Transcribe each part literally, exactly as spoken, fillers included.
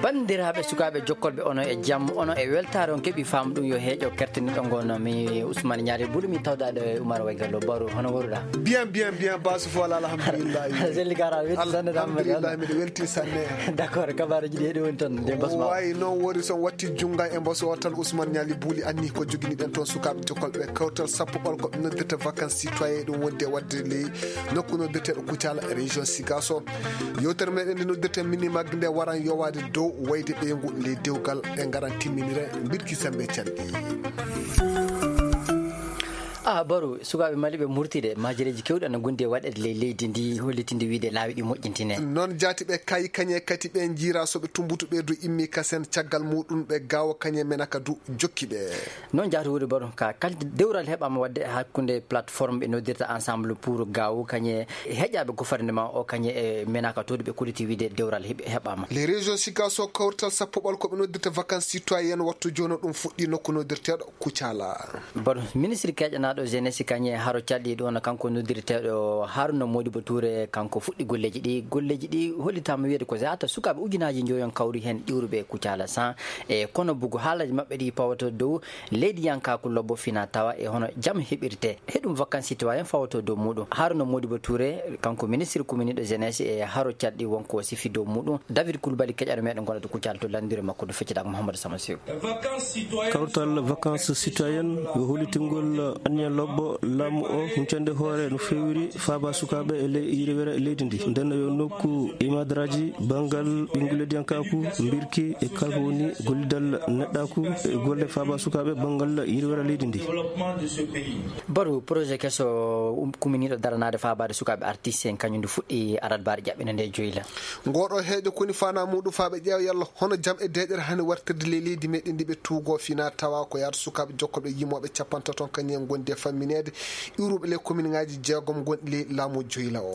Banndiraaɓe, sukaaɓe jokkolɓe, ono e jam, ono e weltaare, on keɓi faamu ɗum yo heeƴo kertiniɗo ngo no mi Ousmane Ñaali Bulu, mi tawdaɗo e Umar Waygallo. Baro, hono waruɗa? Bien, bien, bien, basu fo wala, alhamdulillah. Selli kara, welti sanne, alhamdulillah, miɗo welti sanne. D'accord, kabaruji ɗi heɗi woni toon, nde mbasma o. Wayi noon wori son watti junnga e mbasu o tan, Ousmane Ñaali Buli anni ko joginiɗen toon sukaaɓe jokkolɓe kawtal sappo ɓolko ɓe noddirta vacances citoyen, ɗum wonde wadde ley nokku noddirteɗo Kucala, région Sigaso. Yewtere meɗen nde noddirten Mini Mag nde waran yowaade dow wayde ɓeyngu ley dewgal, ɗe ngaran timminire mbirki sembe canɗi. Ah, Baro, sukaaɓe Mali ɓe murtide, majereeji kewɗi ana ngondi e waɗeede ley leydi ndi, hollitinde wiide laawi ɗi moƴƴintine. Noon jaati ɓe kayi kañe kadi ɓe njiira so ɓe tumbutu ɓe du immi kasen caggal muɗum ɓe gawo kañe menaka du jokki ɓe. Noon jaati wuri Baro, ka kal dewral heɓaama waɗde hakkunde plateforme ɓe noddirta Ensemble pour Gawo kañe heƴaaɓe gouvernement o kañe e menaka to ɓe kolliti wiide dewral heɓ-, heɓaama. Les régions Sigaso kawrital sappo ɓolko ɓe noddirta vacances citoyennes wattu jooni ɗum fuɗɗi nokku noddirteeɗo Kucala. Bon, ministre keƴanaaɗo jeunesse kañe haro calɗi ɗo no kanko noddirteeɗo Haruna Modibo Touré, kanko fuɗɗi golleeji ɗi. Golleeji ɗi hollitaama wiyeede ko yaata sukaaɓe ujunaaji njoyon kawri heen iwruɓe Kucala san. E kono bugu haalaji maɓɓe ɗi pawata dow leydi yankaaku lobbo fina tawa e hono jam heɓirte. He ɗum vacances citoyen fawata dow muɗum. Haruna Modibo Touré, kanko ministre communiɗo jeunesse e haro calɗi wonko sifi dow muɗum. David Koulibaly keƴaɗo meɗen gonɗo to Kucala to lanndire makko ɗo feccitaako Mouhamadou Sama Sew. Kawtal vacances citoyennes yo hollitingol anniya lobbo laamu o huncande hoore no feewiri faaba sukaaɓe e ley yirwere leydi ndi. Nden yo nokku imadraji banngal ɓinngulediyankaaku, mbirki e kala ko woni gollidal neɗɗaaku e golle faaba sukaaɓe banngal yirwere leydi ndi. Baru projet keso, um, kuminiiɗo daranaade faabaade sukaaɓe artiste en kañum ndu fuɗɗi alarbaare ƴaɓɓinde nde joyla. Ngoɗo heejo koni fana muɗum faaɓe ƴeewa yalla hono jam e deeƴere hani wartirde ley leydi meɗen ndi ɓe tuugo fina tawa ko yaata sukaaɓe jokkoɓe yimoɓe capantato kañum en gondi e fammineede iwruɓe ley komin ngaji jeegom gonɗi ley laamu joyla o.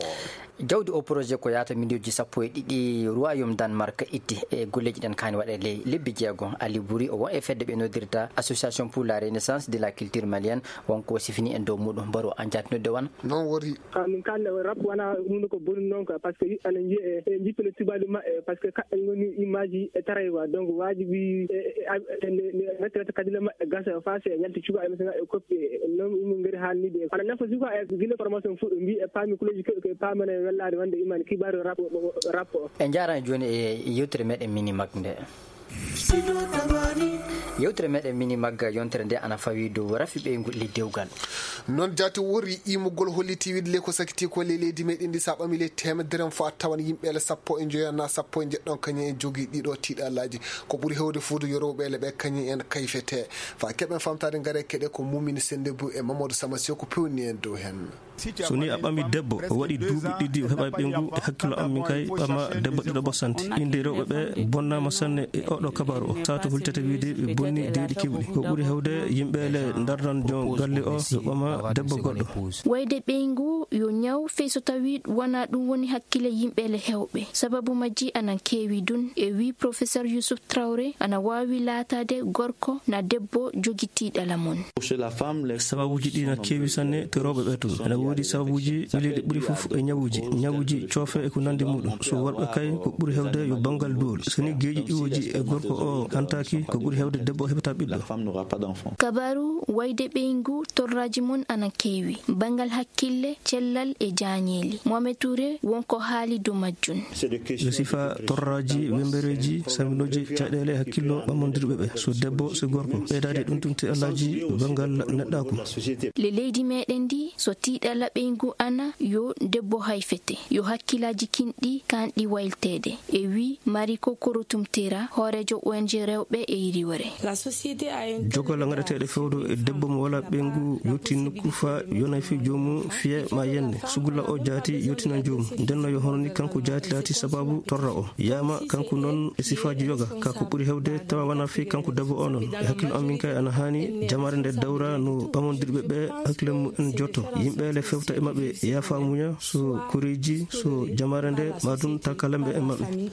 Jawdi o projet ko yaata miliyonji sappo e ɗiɗi Royaume Danemark itti e golleji ɗen kaani waɗe ley lebbi jeegom. Ali Buri o won e fedde ɓe noddirta Association pour la Renaissance de la Culture Malienne, wonko sifini en dow muɗum. Baro an jatnude wan. Noon wori. Ka min kaalda o rap wona huunde ko boni noon ka, parce que yiɓɓe ana njiya e, e jippina tubaaji maɓɓe, parce que kaɓɓe ngoni image e taray quoi. Donc waajibi e, e, e, e, nde, nde, nde, nde, kadile maɓɓe gasa fase e yalti cuka e mesen e koppi e noon ɗum ngari haalnide. Ana nafa suka e gila formation fuɗɗo mbi e paami kuleji keɓe ke paamana e wellaade wonde iman kibaru rap, rap o. En njaarani jooni e yewtere meɗen Mini Mag nde. Yewtere meɗen Mini Mag yontere nde ana fawi dow rafi ɓeyngu le dewgal. Noon jaati wori imugol holliti wiɗle ko sakiti ko le leydi meɗen ndi sa ɓami le temedere fo a tawan yimɓe le sappo e njoyo na sappo e njeɗɗon kañum en jogi ɗiɗo tiɗalaji. Ko ɓuri hewde fuudu yorowɓe le ɓe kañum en kayfete. Fa keɓen famtade ngare keɗe ko Mumini Sende Bu e Mamadou Sama Sew ko pewni en dow hen. So ni a ɓami debbo, o waɗi duuɓi ɗiɗi, o heɓa ɓeyngu, e hakkillo am min kay, ɓama debbo ɗiɗo ɓosante. Innde rewɓe ɓe bonnama sanne e oɗo kabaru o. Sato hultata wiide ɓe bonni deeɗi kewɗi. Ko ɓuri hewde yimɓe le darnan jon galle o, yo ɓama debbo goɗɗo. Wayde ɓeyngu yo ñaw, fey so tawi wona ɗum woni hakkille yimɓe le hewɓe. Sababu majji anan keewi dun, e wi Professeur Youssouf Traoré, ana waawi laataade gorko na debbo jogitiiɗo la mon. Sababuuji ɗi na keewi sanne to rewɓe ɓe tun. Ena woodi sababuuji ɓileeɗi ɓuri fof e ñawuuji, ñawuuji coofe e ko nanndi muɗum. So worɓe kay, ko ɓuri hewde yo banngal duwol. So ni geeƴi iwooji e gorko o hantaaki, ko ɓuri hewde debbo o heɓata ɓiɗɗo. Kabaru wayde ɓeyngu torraaji mon ana keewi. Banngal hakkille, cellal e jaañeeli. Mohamed Touré won ko haali dow majjum. Yo sifa torraaji, wembereeji, saminooji, caɗeele, hakkillo ɓamondirɓe ɓe. So debbo, so gorko. Ɓeydaade ɗum tun tiɗalaaji banngal neɗɗaaku. Le leydi meɗen ndi, so tiɗala ɓeyngu ana, yo debbo hayfete. Yo hakkilaaji kinɗi, kanɗi waylteede. E wi Marie Kokoro Tumtera, hooreejo O N G rewɓe e yiriwere. Jogal ngaɗeteeɗo fewdo e debbo mo wala ɓeyngu yotti nokku fa yonay fi joomu fiye ma yenne. Sugula o jaati yottina joomu. Ndenno yo hono ni kanko jaati laati sababu torra o. Yama kanko non e sifaaji yoga. Ka ko ɓuri hewde tawa wana fi kanko debbo o non. E hakkil am min kay ana hani jamaare nde dawra no ɓamondirɓe ɓe hakkile mu en jotto. Yimɓe le Fewta e maɓɓe, yaafa muña, so koreeji, so jamaare nde, ma ɗum takalamɓe e maɓɓe.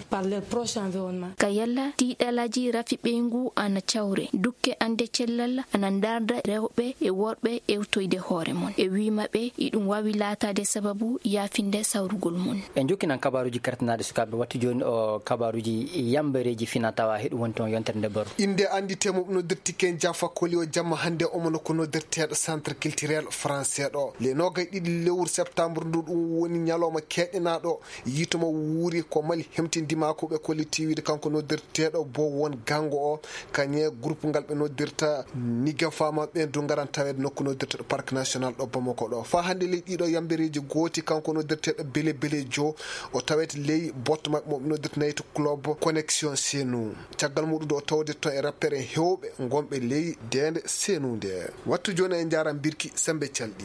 Ka yalla tiiɗalaaji rafi ɓeyngu ana cawre, dukke ande cellal ana ndarda rewɓe e worɓe ewtoyde hoore mon. E wii maɓɓe, iɗum waawi laataade sababu yaafinde sawrugol mon. En jokkinan kabaaruuji kertanaaɗi sukaaɓe. Wattu jooni o kabaaruuji yambereeji fina tawa heɗu wonti on yontere nde baru. Innde anndi temo no dirti ken Jaffa Koli o jamma hannde omo no ko no dirteeɗo Centre Culturel Français ɗo. Le noogay ɗiɗi lewru septembre ndu ɗum woni ñalawma keɗenaaɗo yiito mo wuuri ko Mali hemtindima ko ɓe kolli tiwiide kanko no dirteeɗo bo won gango o. Kañe groupe ngal ɓe noddirta Niga Fama ɓe du ngaran taweede nokku noddirteɗo Parc National ɗo Bamako ɗo. Fa hannde ley ɗiɗo yambereeji gooti kanko noddirteɗo Bele Bele Jo o tawete ley botto maɓɓe mo ɓe noddirta Night Club Connexion Senu. Caggal muɗum ɗo tawde toon e rappere hewɓe gonɓe ley deende Senu nde. Wattu jooni e njaara mbirki sembe calɗi.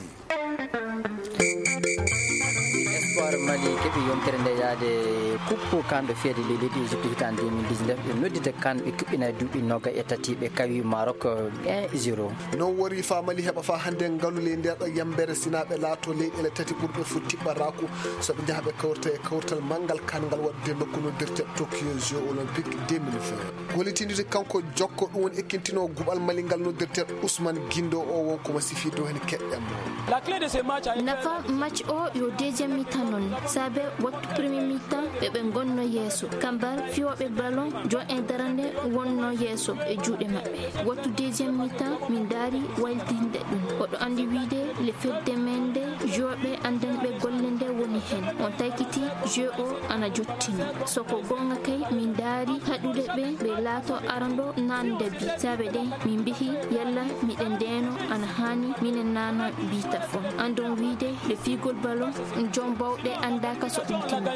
Espoir Mali keɓi yontere nde yaade kuppu kamɓe feede ley leydi Égypte hitaande deux mille dix-neuf. Ɓe noddita kan ɓe kuɓɓina duuɓi noga e tati ɓe kawi Maroc un zéro. Non wori fa Mali heɓa fa hannde ngalu ley nde ɗo yambere sina ɓe laato leyɗeele tati ɓurɓe fof tiɓɓaraku so ɓe njaha ɓe kawrita e kawrital manngal kan ngal waɗde nokku noddirte Tokyo Jeux Olympiques deux mille vingt. Gollitindude kanko jokko ɗum woni ekkintino guɓal Mali ngal noddirte Ousmane Guindo o won ko ma sifi dow heen keɗɗen mo. Nafa match o yo deuxième mi-temps noon, saabe wattu premier mi-temps ɓe ɓe ngonno yeeso. Kambal fiyooɓe ballon, jon en darande wonno yeeso e juuɗe maɓɓe. Wattu deuxième mi-temps, min ndaari waylitinde ɗum. Oɗo anndi wiide le fedde men nde, joueurɓe anndanɓe golle nde woni heen. On taykiti jeu o ana jottino. So ko goonga kay, min ndaari haɗude ɓe, ɓe laato arando nande bi. Saabe de, min mbihi yalla miɗen ndeeno ana haani minen naana bi tafon. Andon wiide le fiigol ballon, jom bawɗe anndaaka so ɗum timmi.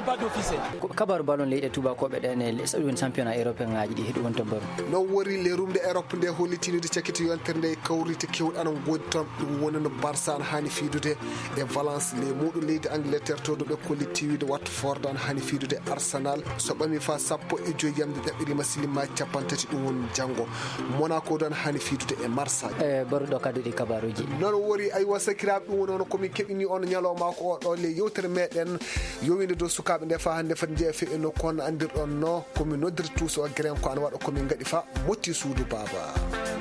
Ko kabaru ballon leyɗe tuubakooɓe ɗen e les ɗum championnat européen ngaji ɗi heɗu wonta baru. Non wori le rumde Europe nde hollitiniide cakiti yontere nde kawrite kewɗe ana ngoodi toon. Ɗum woni no Barça ana haani fiidude e Valence, le muuɗo leydi Angleterre to ɗo ɓe kolli tiwiide Watford ana haani fiidude Arsenal. So ɓami fa sappo e joyi yamde ɗaɓɓirima silima cappanɗe tati ɗum woni janngo. Monaco ɗo ana haani fiidude e Marseille. E baruɗo kadi ɗi kabaruuji. Non wori aywa sakiraaɓe ɗum woni hono komin keɓini on ñalawma ko o ɗo le yewtere meɗen yowinde dow sukaaɓe nde fa hannde fati jeeya fewi e nokku on andirɗon no komin noddirta tuuso o geren ko ana waɗa komin ngaɗi fa motti suudu baaba.